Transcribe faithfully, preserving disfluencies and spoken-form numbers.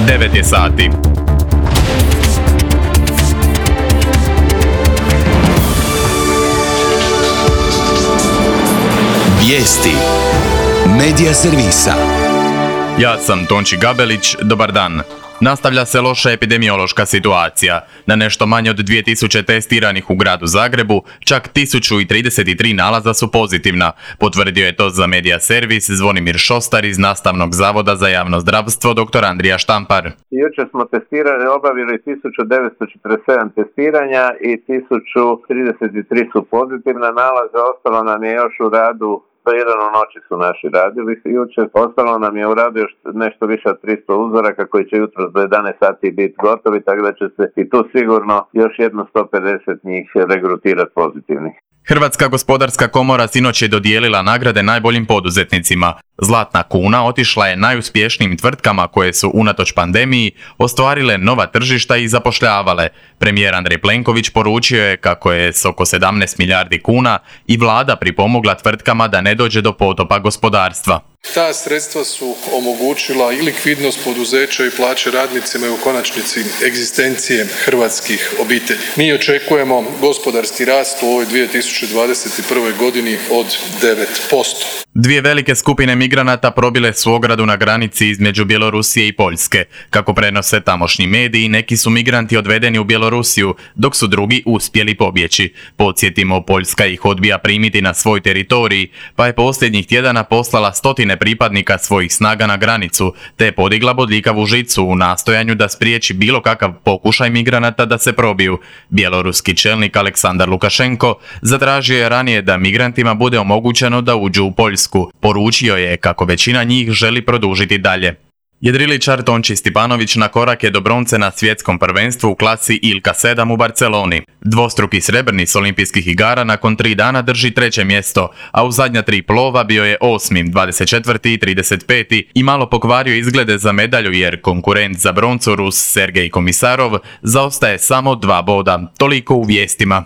devet je sati. Vijesti Medija servisa. Ja sam Tonči Gabelić, dobar dan. Nastavlja se loša epidemiološka situacija. Na nešto manje od dvije tisuće testiranih u gradu Zagrebu, čak tisuću trideset tri nalaza su pozitivna. Potvrdio je to za Medija servis Zvonimir Šostar iz Nastavnog zavoda za javno zdravstvo dr. Andrija Štampar. Jučer smo testirali, obavili tisuću devetsto četrdeset sedam testiranja i tisuću trideset tri su pozitivna nalaza, ostalo nam je još u radu. Do jedan u noći su naši radili jučer, ostalo nam je u radu još nešto više od tristo uzoraka koji će jutro do jedanaest sati biti gotovi, tako da će se i tu sigurno još jedno sto pedeset njih regrutirati pozitivnih. Hrvatska gospodarska komora sinoć je dodijelila nagrade najboljim poduzetnicima. Zlatna kuna otišla je najuspješnijim tvrtkama koje su unatoč pandemiji ostvarile nova tržišta i zapošljavale. Premijer Andrej Plenković poručio je kako je s oko sedamnaest milijardi kuna i vlada pripomogla tvrtkama da ne dođe do potopa gospodarstva. Ta sredstva su omogućila i likvidnost poduzeća i plaće radnicima i u konačnici egzistencije hrvatskih obitelji. Mi očekujemo gospodarski rast u ovoj dvije tisuće dvadeset prve. godini od devet posto. Dvije velike skupine migranata probile su ogradu na granici između Bjelorusije i Poljske. Kako prenose tamošnji mediji, neki su migranti odvedeni u Bjelorusiju, dok su drugi uspjeli pobjeći. Podsjetimo, Poljska ih odbija primiti na svoj teritorij, pa je posljednjih tjedana poslala stotine pripadnika svojih snaga na granicu, te podigla bodljikavu žicu u nastojanju da spriječi bilo kakav pokušaj migranata da se probiju. Bjeloruski čelnik Aleksandar Lukašenko zatražio je ranije da migrantima bude omogućeno da uđu u Poljsku. Poručio je kako većina njih želi produžiti dalje. Jedriličar Tonči Stipanović na korak je do bronce na svjetskom prvenstvu u klasi Ilka sedam u Barceloni. Dvostruki srebrni s olimpijskih igara nakon tri dana drži treće mjesto, a u zadnja tri plova bio je osmi, dvadeset četvrti i trideset peti i malo pokvario izglede za medalju jer konkurent za broncu Rus Sergej Komisarov zaostaje samo dva boda. Toliko u vijestima.